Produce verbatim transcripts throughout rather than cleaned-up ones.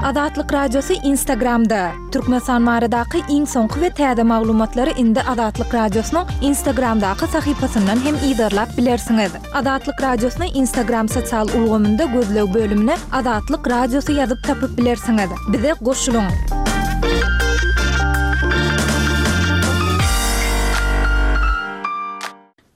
Azatlyk Radiosy Instagramda. Türkmenistan baradaky iň soňky we täze maglumatlary indi Azatlyk Radiosynyň Instagramdaky sahypasyndan hem yzarlap bilersiňiz. Azatlyk Radiosyny Instagram sosial ulgamynda gözleg bölümine Azatlyk Radiosy ýazyp tapyp bilersiňiz. Bize goşulyň.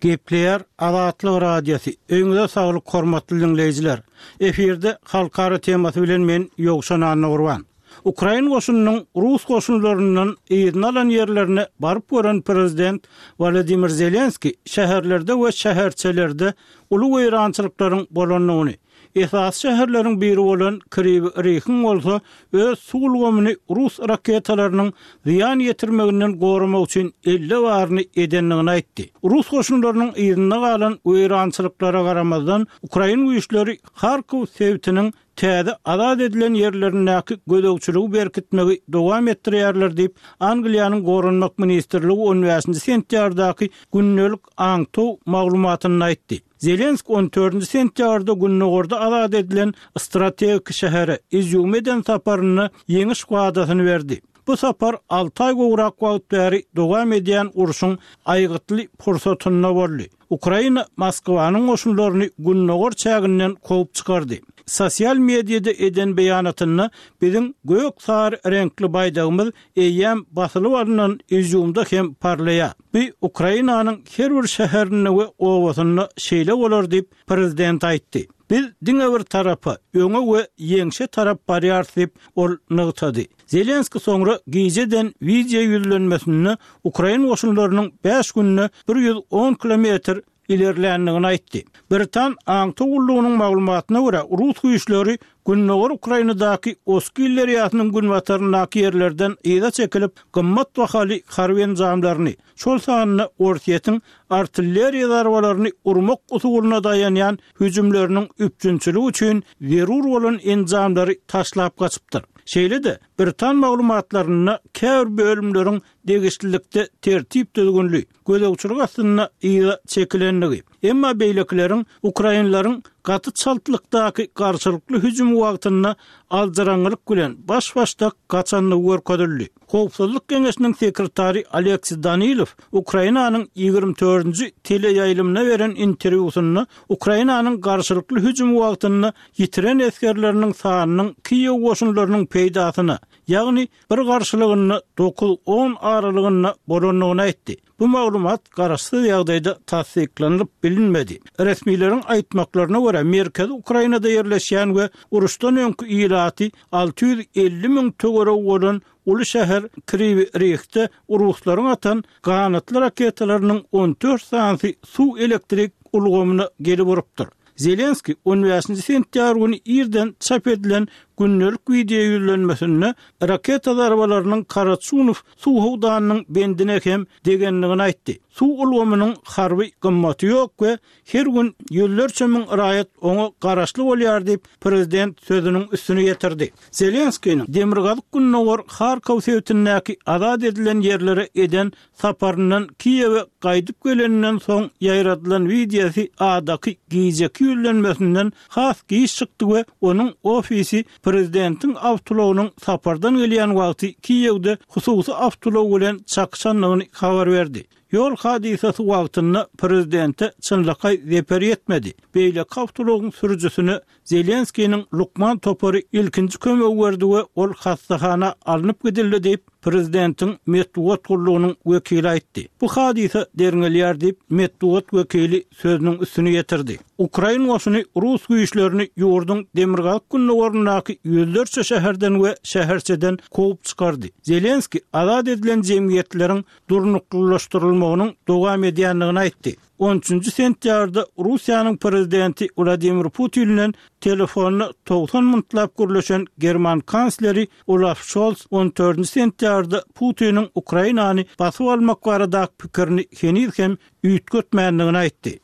Gepleýär Azatlyk Radiosy. Öýüňize saglyk hormatly diňleýjiler. Efirde halkara temasy bilen men Ýowşan Annagurban. Ukrain goşunynyň Rus goşunlaryndan yzyna alan ýerlerine baryp gören prezident Wladimir Zelenski şäherlerde we şäherçelerde uly weýrançylyklaryň bolandygyny, esasy şäherleriň biri bolan Kriwi Rihiň bolsa öz suw ulgamyny rus raketalarynyň zyýan ýetirmeginden goramak üçin elle baryny edendigini aýtdy. Rus goşunlarynyň yzynda galan weýrançylyklara garamazdan Ukrain güýçleri Harkow sebitiniň täze azat edilen ýerlerindäki gözegçiligi berkitmegi dowam etdirýärler diýip, Angliýanyň Goranmak ministrligi on bäşinji sentýabrdaky gündelik aňtaw maglumatynda aýtdy. Zelenski on dördünji sentýabrda gündogarda azat edilen strategik şähere Izýum eden saparynda ýeňiş wadasyny berdi. Bu sapar alty aý gowrak wagt bäri dowam edýän urşuň aýgytly pursatynda boldy. Ukraina Moskwanyň goşunlaryny gündogar çäginden kowup çykardy. Sosial mediada eden beýanatynda biziň gök sary reňkli baýdagymyz eýýäm basylyp alnan Izýumda hem parlaýar. Bu Ukrainanyň her bir şäherinde we obasynda şeýle bolar diýip prezident aýtdy. Biz diňe bir tarapa, öňe we ýeňşe tarap barýarys diýip ol nygtady. Zelenski soňra gijeden wideo ýüzlenmesinde Ukrain goşunlarynyň bäş günde bir ýüz on kilometr ilerländigini aýtdy. Britan aňtaw gullugynyň maglumatyna görä, Rus güýçleri Gündogar Ukrainadaky Oskil derýasynyň günbataryndaky ýerlerden yza çekilip, gymmat bahaly harby enjamlaryny, şol sanda Orsýetiň artilleriýa zarbalaryny urmak usulyna daýanýan hüjümleriniň üpjünçiligi üçin zerur bolan enjamlary taşlap gaçypdyr. Şeýle-de Britan maglumatlarynda käbir bölümleriň degişlilikde tertip düzgünli, gözegçilik astynda yza çekilendigi, emma beýlekileriň Ukrainlaryň gaty çaltlykdaky garşylykly hüjüm wagtynda aljarangylyk bilen baş-başdak gaçandygy görkezildi. Howpsuzlyk geňeşiniň sekretary Aleksiý Danilow Ukrainanyň ýigrimi dördünji teleýaýlymyna beren interwýusynda Ukrainanyň garşylykly hüjüm wagtynda ýitiren esgerleriniň sanynyň Kiýew goşunlarynyň peýdasyna, ýagny bir garşylygynda dokuz on aralygynda bolandygyny aýtdy. Bu maglumat garaşsyz ýagdaýda tassyklanylyp bilinmedi. Resmileriň aýtmaklaryna görä, Merkezi Ukrainada ýerleşýän we uruşdan öňki ilaty alty ýüz elli müň töweregi bolan uly şäher Kriwi Rihde ruslaryň atan ganatly raketalarynyň on dört sanysy suw elektrik ulgamyna gelip urupdyr. Zelenski on bäşinji sentýabr güni irden çap edilen gündelik wideo ýüzlenmesinde raketa zarbalarynyň Karaçunow suw howdanynyň bendine hem degendigini aýtdy. Suw ulgamynyň harby gymmaty ýok we her gün ýüzlerçe müň raýat oňa garaşly bolýar diýip prezident sözüniň üstüne ýetirdi. Zelenskiniň Demirgazyk gündogar Harkow sebitindäki azat edilen ýerlere eden saparyndan Kiýewe gaýdyp geleninden soň ýaýradylan wideosy adaky gijeki ýüzlenmesinden has giç çykdy we onuň ofisi prezidentiň awtoulagynyň sapardan gelýän wagty Kiýewde hususy awtoulag bilen çakyşandygyny habar berdi. Ýol hadysasy wagtynda prezidente çynlakaý zeper ýetmedi. Beýleki awtoulagyň sürüjisine Zelenskiniň lukman topary ilkinji kömegi berdi we ol hastahana alnyp gidildi diýip prezidentiň metbugat gullugynyň wekili aýtdy. Bu hadysa derňelýär diýip metbugat wekili sözüniň üstüne ýetirdi. Ukrain goşuny rus güýçlerini ýurduň demirgazyk gündogaryndaky ýüzlerçe şäherden we şäherçeden kowup çykardy. Zelenski azat edilen jemgyýetleriň durnuklylaşdyrylmagynyň dowam edýändigini aýtdy. on üçünji sentýabrda Russiýanyň prezidenti Wladimir Putin bilen telefonda togsan minutlap gürleşen German kansleri Olaf Scholz on dördünji sentýabrda Putiniň Ukrainany basyp almak baradaky pikirini heniz hem üýtgetmändigini aýtdy.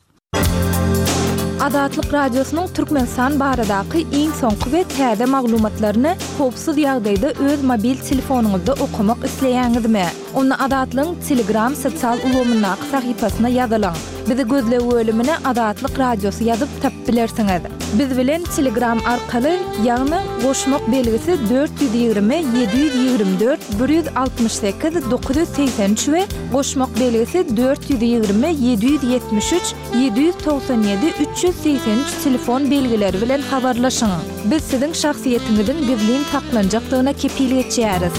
Azatlyk Radiosynyň Türkmenistan baradaky iň soňky we täze maglumatlaryny howpsuz ýagdaýda öz mobil telefonyňyzda okamak isleýäňizmi? Onda Azatlygyň Telegram sosial ulgamyndaky sahypasyna ýazylyň. Bizi gözleg bölümine Azatlyk Radiosy ýazyp tapyp bilersiňiz. Biz bilen Telegram arkaly, ýagny goşmak belgisi dört ýüz ýigrimi ýedi ýüz ýigrimi dört bir ýüz altmyş sekiz dokuz ýüz segsen üç we goşmak belgisi dört ýüz ýigrimi ýedi ýüz ýetmiş üç ýedi ýüz togsan ýedi üç ýüz segsen üç telefon belgileri bilen habarlaşyň. Biz siziň şahsyýetiňiziň gizlin saklanjakdygyna kepil geçýäris.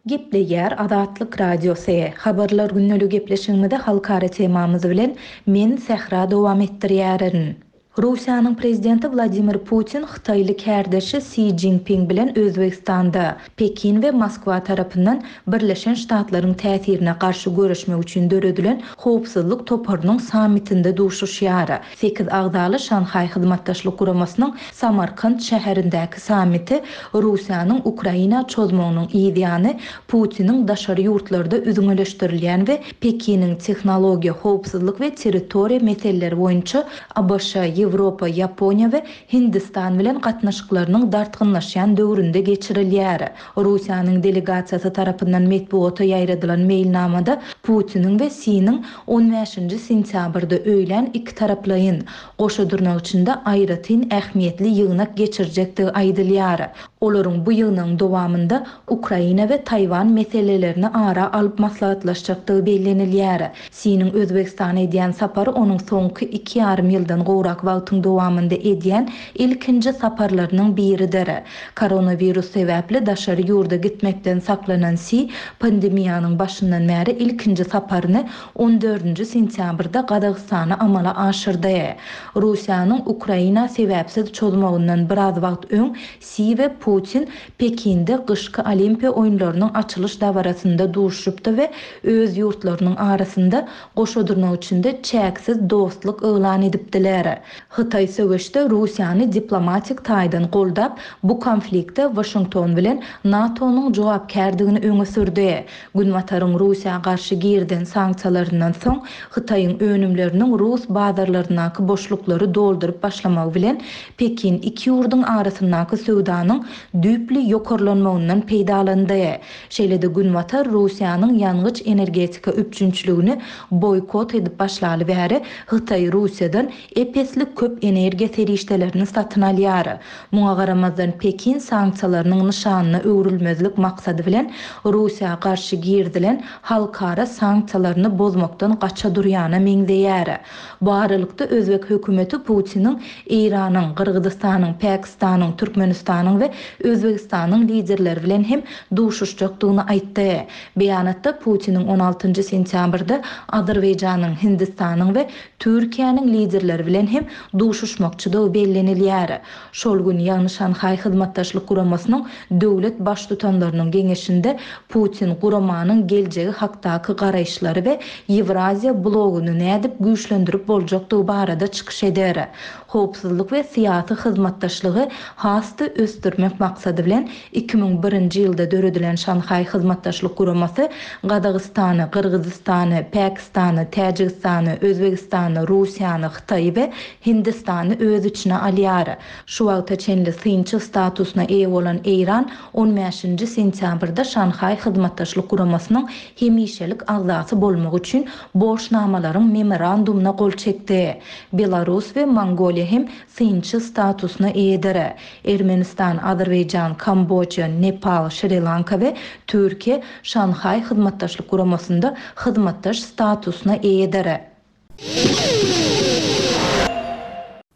Gepleýär Azatlyk Radiosy. Habarlar gündelik gepleşigimizi halkara temamyz bilen men Sähra dowam etdirýärin. Russiýanyň prezidenti Wladimir Putin hytaýly kärdeşi Si Jinping bilen Özbegistanda, Pekin we Moskwa tarapyndan Birleşen Ştatlaryň täsirine garşy göreşmek üçin döredilen howpsuzlyk toparynyň sammitinde duşuşýar. Sekiz agzaly Şanhaý Hyzmatdaşlyk Guramasynyň Samarkant şäherindäki sammiti Russiýanyň Ukraina çozmagynyň yz ýany Putiniň daşary ýurtlarda üzňeleşdirilýän we Pekiniň tehnologiýa, howpsuzlyk we territoriýa meseleleri boýunça A B Ş, Ýewropa, Ýaponiýa we Hindistan bilen gatnaşyklarynyň dartgynlaşýan döwründe geçirilýär. Russiýanyň delegasiýasy tarapyndan metbugata ýaýradylan meýilnamada Putiniň we Siniň on bäşinji sentýabrda öýlän ikitaraplaýyn, goşa dyrnak içinde aýratyn ähmiýetli ýygnak geçirjekdigi aýdylýar. Olaryň bu ýygnagyň dowamynda Ukraina we Taýwan meselelerini ara alyp maslahatlaşjakdygy bellenilýär. Siniň Özbegistana edýän sapary onuň soňky iki ýarym ýyldan gowrak wagtyň dowamynda edýän ilkinji saparlarynyň biridir. Koronawirus sebäpli daşary ýurda gitmekden saklanan Si pandemiýanyň başyndan bäri ilkinji saparyny on dördünji sentýabrda Gazagystana amala aşyrdy. Russiýanyň Ukraina sebäpsiz çozmagyndan biraz wagt öň Si we Putin Pekinde gyşky Olimpiýa oýunlarynyň açylyş dabarasynda duşupdy we öz ýurtlarynyň arasynda goşa dyrnak içinde çäksiz dostluk yglan edipdiler. Hytaý söweşde Russiýany diplomatik taýdan goldap, bu konfliktde Waşington bilen NATO-nyň jogapkärdigini öňe sürdi. Günbataryň Russiýa garşy girden sanksiýalaryndan soň Hytaýyň önümleriniň rus bazarlaryndaky boşluklary dolduryp başlamagy bilen Pekin iki ýurduň arasyndaky söwdanyň düýpli ýokarlanmagyndan peýdalandy. Şeýle-de Günbatar Russiýanyň ýangyç energetika üpjünçiligini boýkot edip başlaly bäri Hytaý Russiýadan ep-esli köp energiýa serişdelerini satyn alýar. Muňa garamazdan Pekin sanksiýalarynyň nyşanyna öwrülmezlik maksady bilen Russiýa garşy girizilen halkara sanksiýalaryny bozmakdan gaça durýana meňzeýär. Bu aralykda özbek hökümeti Putiniň Eýranyň, Gyrgyzystanyň, Pakistanyň, Türkmenistanyň we Özbegistanyň liderleri bilen hem duşuşjakdygyny aýtdy. Beýanatda Putiniň on altynjy sentýabrda Azerbaýjanyň, Hindistanyň we Türkiýäniň liderleri bilen hem duşuşmakçydygy bellenilýär. Şol gün ýagny Şanhaý Hyzmatdaşlyk Guramasynyň döwlet baştutanlarynyň geňeşinde Putin guramanyň geljegi hakdaky garaýyşlary we Ýewraziýa blogyny nädip güýçlendirip boljakdygy barada çykyş eder. Howpsuzlyk we syýasy hyzmatdaşlygy has-da ösdürmek maksady bilen iki müň birinji ýylda döredilen Şanhaý Hyzmatdaşlyk Guramasy Gazagystany, Gyrgyzystany, Pakistany, Täjigistany, Özbegistany, Russiýany, Hytaýy we Hindistany öz içine alýar. Şu wagta çenli synçy statusyna eýe bolan Eýran on bäşinji sentýabrda Şanhaý Hyzmatdaşlyk Guramasynyň hemişelik agzasy bolmak üçin borçnamalaryň memorandumyna gol çekdi. Belarus we Mongoliýa hem synçy statusyna eýedir. Ermenistan, Azerbaýjan, Kambodža, Nepal, Şri-Lanka we Türkiýe Şanhaý Hyzmatdaşlyk Guramasynda hyzmatdaş statusyna eýedir.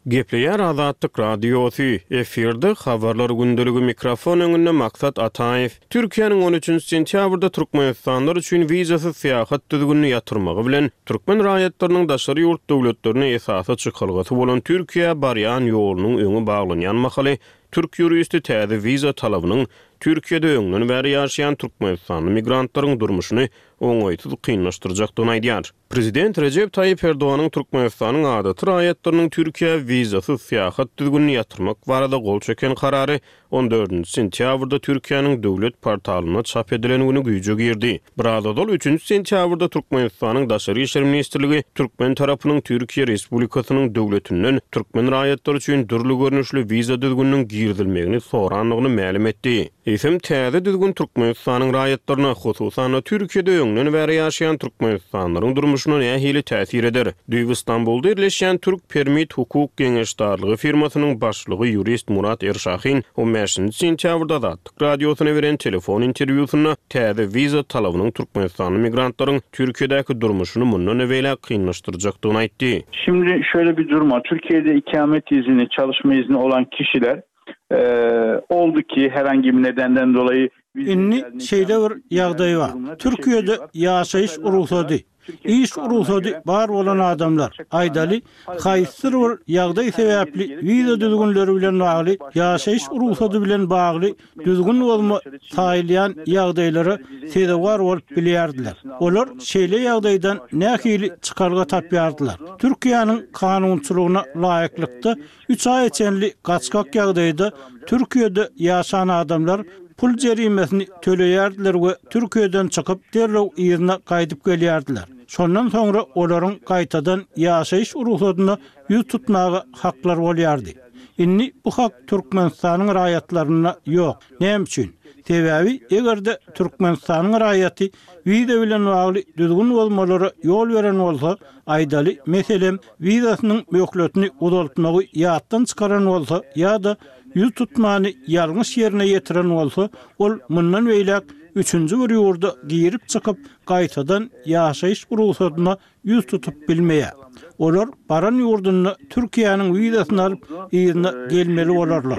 Gepleýär Azatlyk Radiosy, efirde habarlar gündeligi, mikrofon öňünde Maksat Ataýew. Türkiýäniň on üçünji sentýabrda Türkmenistanlylar üçin wizasyz syýahat düzgünini ýatyrmagy bilen türkmen raýatlarynyň daşary ýurt döwletlerine esasy çykalgasy bolan Türkiýä barýan ýolunyň öňi baglanýan mahaly türk ýuristi täze wiza talabynyň Türkiýede öňden bäri ýaşaýan türkmenistanly migrantlaryň durmuşyny oňaýsyz kynlaşdyrjakdygyny aýdýar. Prezident Rejep Taýyp Erdoganyň Türkmenistanyň adaty raýatlarynyň Türkiýä wizasyz syýahat düzgünini ýatyrmak barada gol çeken karary on dördünji sentýabrda Türkiýäniň döwlet portalynda çap edilen güni güýje girdi. Biraz ozal üçünji sentýabrda Türkmenistanyň Daşary işler ministrligi türkmen tarapynyň Türkiýe Respublikasynyň döwletinden türkmen raýatlary üçin dürli görnüşli wiza düzgüniniň girizilmegini sorandygyny mälim etdi. Eýsem, täze düzgün Türkmenistanyň raýatlaryna, hususan-da Türkiýede öňden bäri ýaşaýan türkmenistanlylaryň durmuşyna nähili täsir eder? Düýbi Stambulda ýerleşýän Türk Permit hukuk geňeşdarlygy firmasynyň başlygy ýurist Murat Erşahin on bäşinji sentýabrda Azatlyk Radiosyna beren telefon interwýusynda täze wiza talabynyň türkmenistanly migrantlaryň Türkiýedäki durmuşyny mundan beýläk kynlaşdyrjakdygyny aýtdy. Şimdi şöyle bir durum var. Türkiye'de ikamet izni, çalışma izni olan kişiler oldu ki herhangi bir nedenden dolayı Indi şeýle bir ýagdaý bar. Türkiýede ýaşaýyş rugsady, iş rugsady bar bolan adamlar, aýdaly, haýsydyr bir ýagdaý sebäpli wiza düzgünleri bilen bagly, ýaşaýyş rugsady bilen bagly düzgün bozma saýylýan ýagdaýlara sezewar bolup bilýärdiler. Olar şeýle ýagdaýdan nähili çykalga tapýardylar. Türkiýäniň kanunçylygyna laýyklykda üç aýa çenli gaçgak ýagdaýda Türkiýede ýaşan adamlar pul jerimesini töleýärdiler we Türkiýeden çykyp derrew yzyna gaýdyp gelýärdiler. Şondan soňra olaryň gaýtadan ýaşaýyş rugsadyna ýüz tutmaga haklar bolýardy. Indi bu hak Türkmenistanyň raýatlaryna ýok. Näme üçin? Sebäbi eger-de Türkmenistanyň raýaty wiza bilen bagly düzgün bozmalara ýol beren bolsa, aýdaly, meselem, wizasynyň möhletini uzaltmagy ýatdan çykaran bolsa ýa-da ýüz tutmany ýalňyş ýerine ýetiren bolsa, ol mundan beýläk üçünji bir ýurda girip çykyp gaýtadan ýaşaýyş rugsadyna ýüz tutup bilmeýär. Olar baran ýurdunda Türkiýäniň wizasyny alyp yzyna gelmeli bolarlar.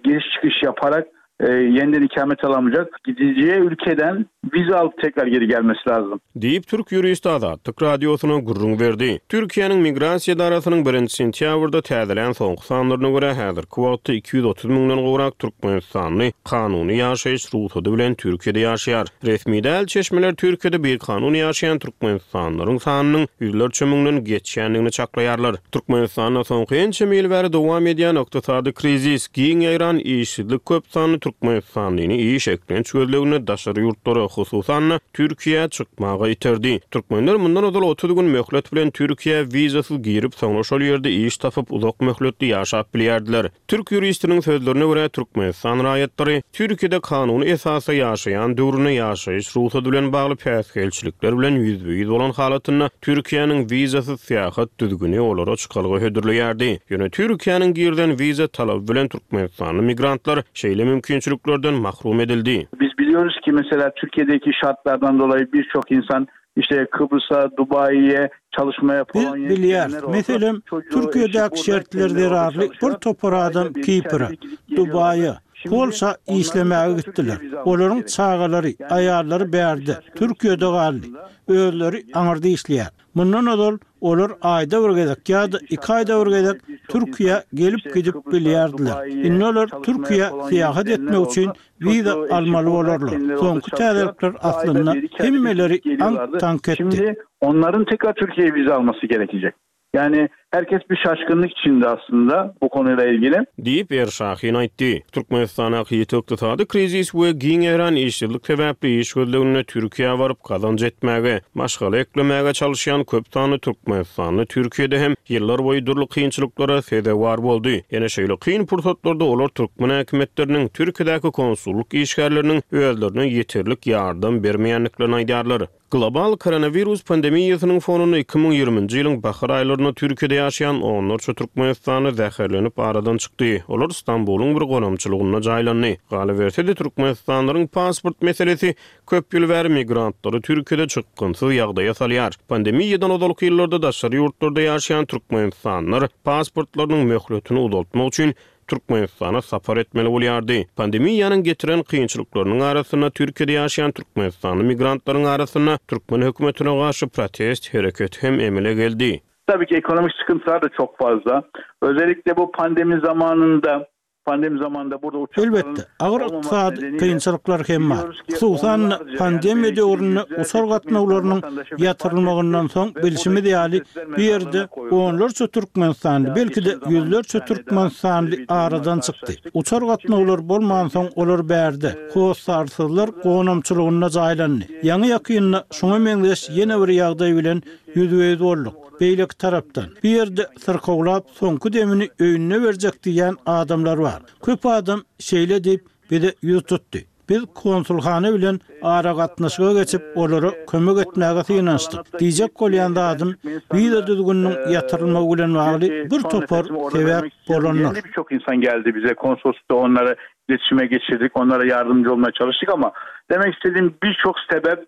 Giriş çykyş yaparak yeniden ikamet alamayacak. Gideceği ülkeden vize alıp tekrar geri gelmesi lazım. Diýip Türk ýuristi Azatlyk Radiosyna gürrüň berdi. Türkiýäniň migrasiýa edarasynyň birinji sentýabrda täzelän soňky sanlaryna görä häzirki wagtda iki ýüz otuz müňden gowrak türkmenistanly kanuny ýaşaýyş rugsady bilen Türkiýede ýaşaýar. Resmi däl çeşmeler Türkiýede bir kanuny ýaşaýan türkmenistanlylaryň sanynyň ýüzlerçe müňden geçýändigini çaklaýarlar. Türkmenistanda soňky ençe ýyl bäri dowam edýän ykdysady krizis, giň ýaýran işsizlik köp sanly türkmenistanlyny iş eklenç gözlegine daşary ýurtlara, hususan-da Türkiýä çykmaga iterdi. Türkmenler mundan ozal otuz gün möhlet bilen Türkiýä wizasyz girip, soňra şol ýerde iş tapyp uzak möhletli ýaşap bilýärdiler. Türk ýuristiniň sözlerine görä Türkmenistan raýatlary Türkiýede kanuny esasda ýaşaýan döwründe ýaşaýyş rugsady bilen bagly päsgelçilikler bilen ýüzbe-ýüz bolan halatynda Türkiýäniň wizasyz syýahat düzgüni olara çykalga hödürleýärdi. Ýöne Türkiýäniň girden wiza talaby bilen Türkmenistanly migrantlar şeýle mümkinçiliklerden mahrum edildi. Biz biliyoruz ki mesela Türkiye'deki şartlardan dolayı birçok insan işte Kıbrıs'a, Dubai'ye çalışmaya Biz Polonya'ya bilýäris. gidenler oldu. Meselem, Çocuğu, Türkiýedäki eşi şertler burada, kendileri orada zerarly bir çalışıyor. topar Ayda adam bir, iki Kipre, ayda bir gidip geliyorlar. Dubaýa, Şimdi Polşa onların işlemäge da gitdiler. Türkiye vize alması Olaryň gerekiyor. çagalary, Yani aýallary herkes bir bärde, şaşkınlık Türkiýede içinde galdy. aslında. Özleri aňyrda işleýär. Mundan ozal olar aýda bir gezek ýa-da iki aýda bir gezek Türkiýä gelip gidip bilýärdiler. Indi olar Türkiýä syýahat etmek üçin wiza almaly bolarlar. Soňky täzelikler aslynda hemmeleri aň tank etdi. Şimdi onların tekrar Türkiye'ye vize alması gerekecek. Yani herkes bir şaşkınlık içinde aslında bu konuyla ilgili. Diýip Erşahin aýtdy. Türkmenistana ýiti ykdysady krizis we giň ýaýran işsizlik sebäpli iş gözlegine Türkiýä baryp gazanç etmäge, maşgala eklemäge çalışýan köp sanly türkmenistanly Türkiýede hem ýyllar boýy dürli kynçylyklara sezewar boldy. Ýene şeýle kyn pursatlarda olar türkmen häkimiýetleriniň Türkiýedäki konsullyk işgärleriniň özlerine ýeterlik ýardam bermeýändiklerini aýdýarlar. Global koronavirus pandemiýasynyň fonunda iki müň ýigriminji ýylyň bahar aýlarynda Türkiýede ýaşaýan onlarça türkmenistanly zäherlenip aradan çykdy. Olar Stambulyň bir gonamçylygynda jaýlandy. Galyberse-de Türkmenistanlylaryň pasport meselesi köp ýyl bäri migrantlary Türkiýede çykgynsyz ýagdaýa salýar. Pandemiýadan ozalky ýyllarda daşary ýurtlarda ýaşaýan türkmenistanlylar pasportlarynyň möhletini uzaltmak üçin Türkmenistana sapar etmeli bolýardy. Pandemiýanyň getiren kynçylyklarynyň arasynda Türkiýede ýaşaýan türkmenistanly migrantlaryň arasynda türkmen hökümetine garşy protest hereketi hem emele geldi. Tabii ki ekonomik sıkıntılar da çok fazla. Özellikle bu pandemi zamanında pandemi zamanında burada uçakların Elbetde, agyr olmaması ykdysady nedeniyle kynçylyklar hem bar. biliyoruz ki Hususan onlarca, yani pandemiýa belki döwründe yüzlerce uçar Türkmen gatnawlarynyň vatandaşı vefat ýatyrylmagyndan etti soň ve bilşimiz buradaki ýaly protestler bu ýerde mezarlığına koyuldu. onlarça türkmenistanly, Ya belki de geçen zaman bir ýüzlerçe tane daha türkmenistanly bir durumla aradan çykdy. karşılaştık. Uçar Şimdi gatnawlar bolmansoň olar bärde, hossarsызlar gonamçylygynda jaýlandy. Ýaňy ýakynda şoňa meňzeş ýene bir ýagdaý bilen ýüzbe-ýüz bolduk. Beýleki tarapdan bir ýerde syrkawlap soňky demini öýüne berjek diýen adamlar bar. Köp adam şeýle diýip bize ýüz tutdy. Biz konsulhana bilen aragatnaşyga geçip, olara kömek etmäge synanyşdyk. Diýjek bolýan zadym, wiza düzgüniniň ýatyrylmagy bilen bagly bir topar sebäp bolandyr. Birçok insan geldi bize konsoloslukda onlara iletişime geçirdik, onlara yardımcı olmaya çalıştık ama demek istediğim birçok sebep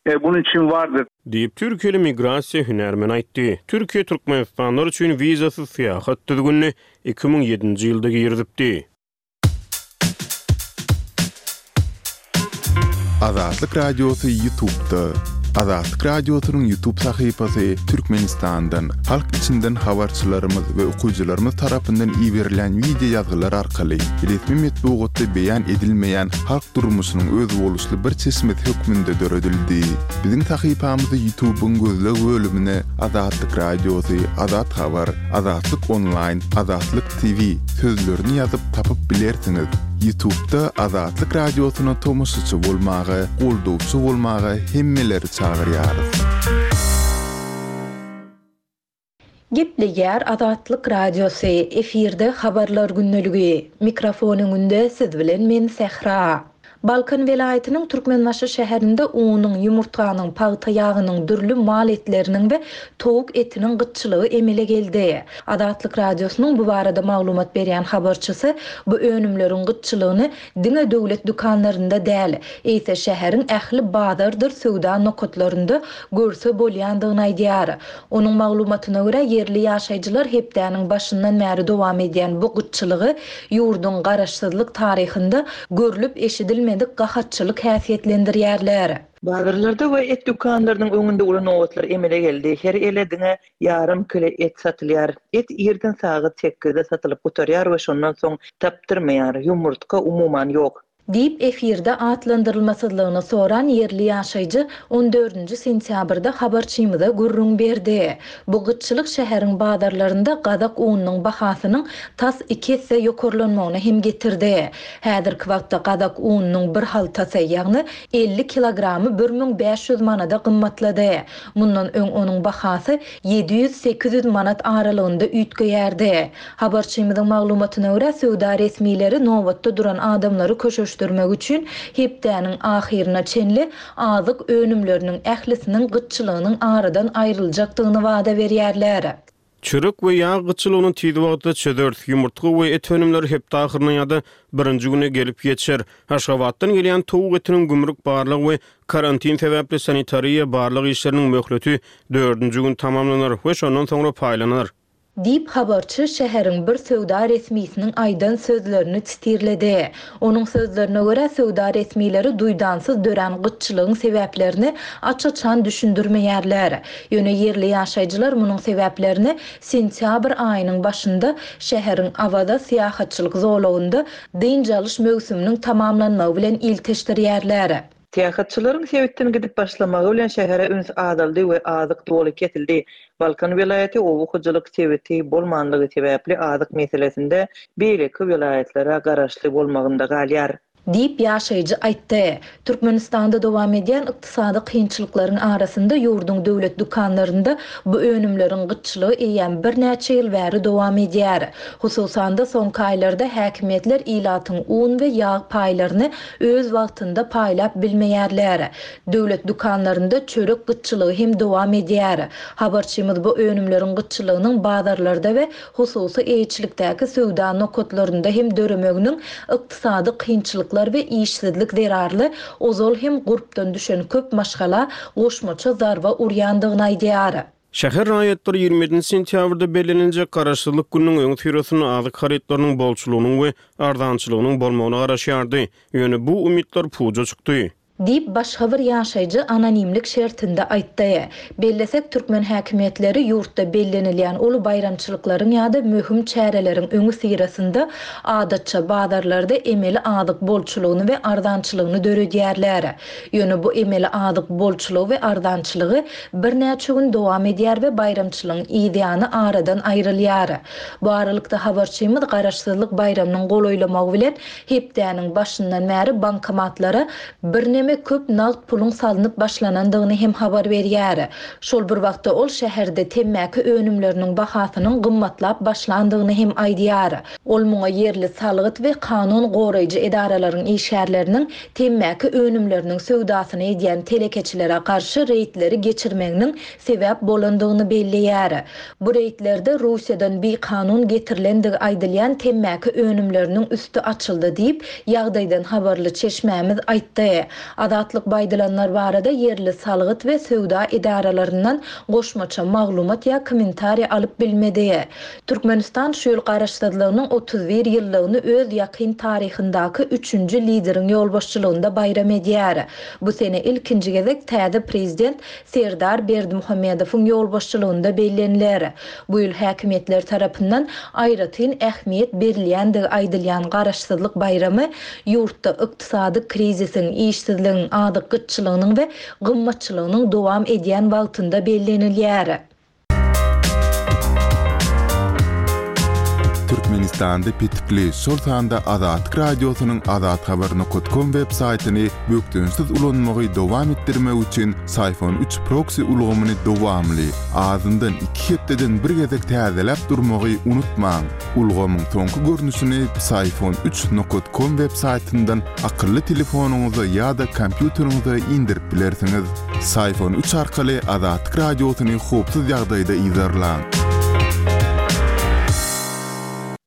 e, bunun için vardır. Diýip, türkiýeli migrasiýa hünärmeni aýtdy. Türkiýe türkmenistanlylar üçin wizasyz syýahat düzgünini iki müň ýedinji ýylda girizipdi. Azatlyk Radiosy YouTube'da. Azatlyk Radiosynyň YouTube sahypasy Türkmenistandan, halk içinden habarçylarymyz we okyjylarymyz tarapyndan iberilen wideo ýazgylar arkaly resmi metbugatda beýan edilmeýän halk durmuşynyň özboluşly bir çeşmesi hökmünde döredildi. Biziň sahypamyzy YouTube'yň gözleg bölümine Azatlyk Radiosy, Azat Habar, Azatlyk Online, Azatlyk T V sözlerini ýazyp tapyp bilersiňiz. YouTube'da Azatlyk Radiosyna tomaşaçy bolmaga, goldawçy bolmaga hemmeleri çagyrýarys. Gepleýär Azatlyk Radiosy, efirde habarlar gündeligi. Mikrofon öňünde siz bilen men Sähra. Balkan welaýatynyň Türkmenbaşy şäherinde unuň, ýumurtganyň, pagta ýagynyň, dürli mal etleriniň we towuk etiniň gytçylygy emele geldi. Azatlyk Radiosynyň bu barada maglumat berýän habarçysy bu önümleriň gytçylygyny diňe döwlet dükanlarynda däl, eýse şäheriň ähli bazardyr söwda nokatlarynda görse bolýandygyny aýdýar. Onuň maglumatyna görä ýerli ýaşaýjylar hepdäniň başyndan bäri dowam edýän bu gytçylygy ýurduň garaşsyzlyk taryhynda görlüp eşidilmedik gahatçylyk häsiýetlendirýärler. Bazarlarda we et dükanlarynyň öňünde uly nobatlar emele geldi. Her ele diňe ýarym kilo et satylýar. Et irden sagat sekizde satylyp gutarýar we şondan soň tapdyrmaýar. Ýumurtga umuman ýok. Diýip efirde atlandyrylmasyzlygyny soran ýerli ýaşaýjy on dördünji sentýabrda habarçymyza gürrüň berdi. Bu gytçylyk şäheriň bazarlarynda gazak ununyň bahasynyň tas iki esse ýokarlanmagyna hem getirdi. Häzirki wagtda gazak ununyň bir haltasy, ýagny elli kilogramy bir müň bäş ýüz manada gymmatlady. Mundan öň onuň bahasy ýedi ýüz sekiz ýüz manat aralygynda üýtgeýärdi. Habarçymyzyň maglumatyna görä söwda resmileri nobatda duran adamlary köşeşdirmek üçin hepdäniň ahyryna çenli azyk önümleriniň ählisiniň gytçylygynyň aradan aýryljakdygyny wada berýärler. Çörek we ýag gytçylygyny tiz wagtda çözer, ýumurtga we et önümleri hepde ahyryna ýa-da birinji güne gelip ýetişer. Aşgabatdan gelýän towuk etiniň gümrük barlygy we karantin sebäpli sanitariýa barlyk işleriniň möhleti dördünji gün tamamlanar we şondan soňra paýlanar. Diýip habarçy şäheriň bir söwda resmisiniň aýdan sözlerini titirledi. Onuň sözlerine görä söwda resmileri duýdansyz dörän gytçylygyň sebäplerini aç-açan düşündirmeýärler. Ýöne ýerli ýaşaýjylar munuň sebäplerini sentýabr aýynyň başynda şäheriň Awaza syýahatçylyk zolagynda dynç alyş möwsüminiň tamamlanmagy bilen ilteşdirýärler. Syýahatçylaryň sebitden gidip başlamagy bilen şähere üns azaldy we azyk doly kesildi. Balkan welaýaty oba hojalyk sebiti bolmanlygy sebäpli azyk meselesinde beýleki welaýatlara garaşly bolmagynda galýar. Diýip ýaşaýjy aýtdy. Türkmenistanda dowam edýän ykdysady kynçylyklaryň arasynda ýurduň döwlet dükanlarynda bu önümleriň gytçylygy eýýäm birnäçe ýyl bäri dowam edýär. Hususan-da soňky aýlarda häkimiýetler ilatyň un we ýag paýlaryny öz wagtynda paýlap bilmeýärler. Döwlet dükanlarynda çörek gytçylygy hem dowam edýär. Habarçymyz bu önümleriň gytçylygynyň bazarlarda we hususy eýeçilikdäki söwda nokatlarynda hem döremeginiň ykdysady kynçylyklar we işsizlik zerarly ozal hem gurpdan düşen köp maşgala goşmaça zarba urýandygyny aýdýar. Şäher raýatlary ýigrimi ýedinji sentýabrda belleniljek garaşsyzlyk gününiň öň syrasynda azyk harytlarynyň bolçulygynyň we arzançylygynyň bolmagyna garaşýardy. Ýöne bu umytlar puja çykdy. Diýip başga bir ýaşaýjy anonimlik şertinde aýtdy. Bellesek türkmen häkimiýetleri ýurtda bellenilýän uly baýramçylyklaryň ýa-da möhüm çäreleriň öňi syrasynda adatça bazarlarda emeli azyk bolçulygyny we arzançylygyny döredýärler. Ýöne bu emeli azyk bolçulygy we arzançylygy birnäçe gün dowam edýär we baýramçylygyň ýany aradan aýrylýar. Bu aralykda habarçymyz Garaşsyzlyk baýramynyň golaýlamagy bilen hepdäniň başyndan bäri bankomatlara birneme we köp nagt puluň salnyp başlanandygyny hem habar berýär. Şol bir wagtda ol şäherde temmäki önümleriniň bahasynyň gymmatlap başlandygyny hem aýdýar. Ol muňa ýerli salgyt we kanun goraýjy edaralaryň işgärleriniň temmäki önümleriniň söwdasyny edýän telekeçilere garşy reýdleri geçirmeginiň sebäp bolandygyny belleýär. Bu reýdlerde Russiýadan bikanun getirilendigi aýdylýan temmäki önümleriniň üsti açyldy diýip, ýagdaýdan habarly çeşmämiz aýtdy. Azatlyk bu aýdylanlar barada ýerli salgyt we söwda edaralaryndan goşmaça maglumat ýa kommentariý alyp bilmedi. Türkmenistan şu ýyl garaşsyzlygynyň otuz bir ýyllygyny öz ýakyn taryhyndaky üçünji lideriň ýolbaşçylygynda baýram edýär. Bu sene ilkinji gezek täze prezident Serdar Berdimuhamedowyň ýolbaşçylygynda belleniler. Bu ýyl häkimiýetler tarapyndan aýratyn ähmiýet berilýändigi aýdylýan garaşsyzlyk baýramy ýurtda ykdysady krizisiň, işsizligiň, azyk gytçylygynyň we gymmatçylygynyň dowam edýän wagtynda bellenilýär. Türkmenistanda petikli, şol sanda Azatlyk Radiosynyň azathabar nokat kom web saýtyny bökdençsiz ulanmagy dowam etdirmek üçin Syfon üç proksi ulgamyny dowamly, azyndan iki hepdeden bir gezek täzeläp durmagy unutmaň. Ulgamyň soňky görnüşini Syfon üç nokat kom web saýtyndan akylly telefonyňyza ýa-da kompýuteriňize indirip bilersiňiz. Syfon üç arkaly Azatlyk Radiosyny howpsuz ýagdaýda yzarlaň.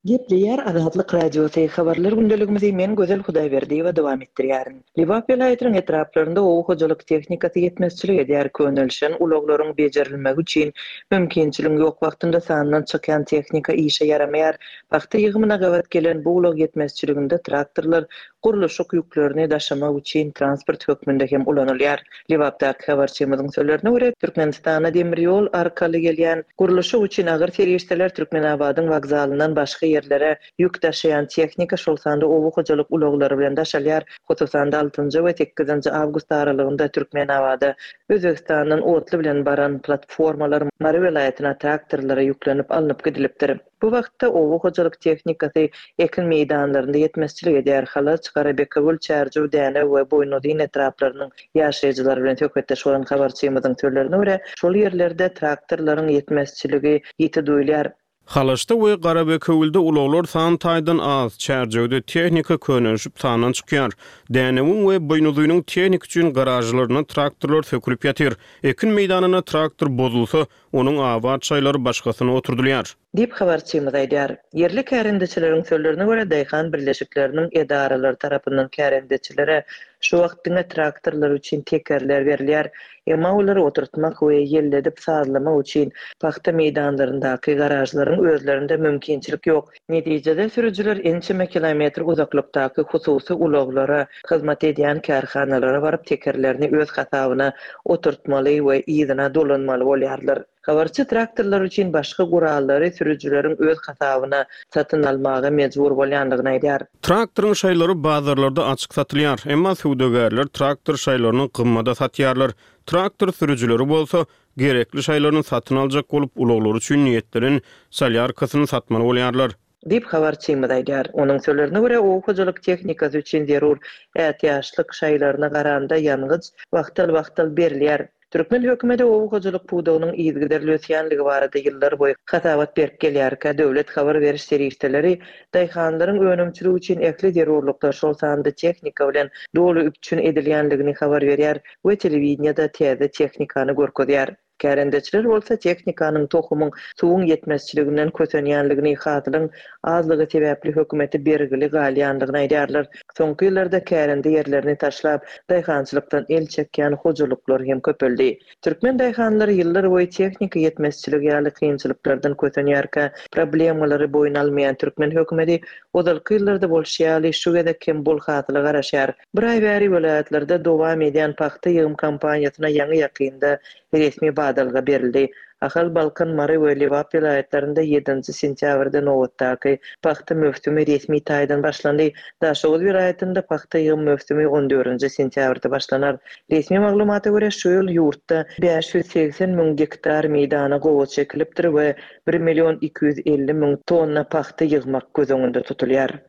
Gepleýär Azatlyk Radiosy, habarlar gündeligimizi men Gözel Hudaýberdiýewa dowam etdirýärin. Lebap welaýatynyň etraplarynda oba hojalyk tehnikasy ýetmezçilik edýär. Könelişen ulaglaryň bejerilmegi üçin mümkinçiligiň ýok wagtynda sandan çykýan tehnika işe ýaramaýar. Pagta ýygymyna gabat gelen bu ulag ýetmezçiliginde traktorlar gurluşyk ýüklerini daşamak üçin transport hökmünde hem ulanylýar. Lebapdaky habarçymyzyň sözlerine görä, Türkmenistana demir ýol arkaly gelýän gurluşyk üçin agyr serişdeler Türkmenabadyň wokzalyndan başga ýerlere ýük daşaýan tehnika, şol sanda oba hojalyk ulaglary bilen daşalýar. Hususan-da altynjy we sekizinji awgust aralygynda Türkmenabada Özbegistandan otly bilen baran platformalar Mary welaýatyna traktorlara ýüklenip alnyp gidilipdir. Bu wagtda oba hojalyk tehnikasy ekin meýdanlarynda ýetmezçilik edýär. Halaç, Garabekewül, Çärjew, Dänew we Boýnuzyn etraplarynyň ýaşaýjylary bilen söhbetdeş bolan habarçymyzyň sözlerine görä, şol ýerlerde traktorlaryň ýetmezçiligi ýiti duýulýar. Halaçda we Garabekewülde ulaglar san taýdan az, Çärjewde tehnika könelişip sandan çykýar. Dänewiň we Boýnuzynyň tehnik üçin garažlaryna traktorlar sökülip ýatyr. Ekin meýdanyna traktor bozulsa, onuň abat şaýlary başgasyna oturdylýar. Diýip habarçymyz aýdýar. Ýerli kärendeçileriň sözlerine görä, daýhan birleşikleriniň edaralary tarapyndan kärendeçilere şu wagt diňe traktorlar üçin tekerler berilýär. Emma olary oturtmak we ýelledip sazlamak üçin pagta meýdanlaryndaky garažlaryň özlerinde mümkinçilik ýok. Netijede sürüjiler ençeme kilometr uzaklykdaky hususy ulaglara hyzmat edýän kärhanalara baryp tekerlerini öz hasabyna oturtmaly we yzyna dolanmaly bolýarlar. Habarçy traktorlar üçin başga gurallary sürüjileriň öz hasabyna satyn almaga mejbur bolýandygyny aýdýar. Traktoryň şaýlary bazarlarda açyk satylýar, emma söwdagärler traktor şaýlaryny gymmada satýarlar. Traktor sürüjileri bolsa gerekli şaýlaryny satyn aljak bolup ulaglary üçin niýetlenen solýarkasyny satmaly bolýarlar. Diýip habarçymyz aýdýar. Onuň sözlerine görä, oba hojalyk tehnikasy üçin zerur ätiýaçlyk şaýlaryna garanda ýangyç wagtal-wagtal berilýär. Türkmen hökümeti oba hojalyk pudagynyň yzygiderli ösýänligi barada ýyllar boýy hasabat berip gelýärkä, döwlet habar beriş serişdeleri daýhanlaryň önümçiligi üçin ähli zerurlyklar, şol sanda tehnika bilen doly üpjün edilýänligini habar berýär we telewideniýede täze tehnikany görkezýär. Kärendeçiler bolsa tehnikanyň, tohumyň, suwuň ýetmezçiliginden kösenýänligini, hasylyň azlygy sebäpli hökümeti bergili galýandygyny aýdýarlar. Soňky ýyllarda kärende ýerlerini taşlap, daýhançylykdan el çekýän hojalyklar hem köpeldi. Türkmen daýhanlary ýyllar boýy tehnika ýetmezçiligi ýaly kynçylyklardan kösenýärkä, problemalary boýun almaýan türkmen hökümeti ozalky ýyllarda bolşy ýaly şu gezek hem bol hasyla garaşýar. Bir aý bäri welaýatlarda dowam edýän pagta ýygym kampaniýasyna ýaňy ýakynda resmi badalga berildi. Ahal, Balkan, Mary we Lebap welaýatlarynda ýedinji sentýabrda nobatdaky pagta möwsümi resmi taýdan başlandy. Daşoguz welaýatynda pagta ýygym möwsümi on dördünji sentýabrda başlanar. Resmi maglumata görä, şu ýyl ýurtda bäş ýüz segsen müň gektar meýdana gowaça ekilipdir we bir million iki ýüz elli müň tonna pagta ýygmak göz öňünde tutulýar.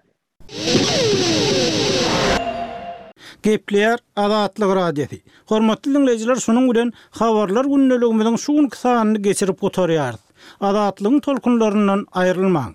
Gepleýär Azatlyk Radiosy. Hormatly diňleýjiler, şunuň bilen Habarlar gündeligimiziň şu günki sanyny geçirip gutarýarys. Azatlygyň tolkunlaryndan aýrylmaň.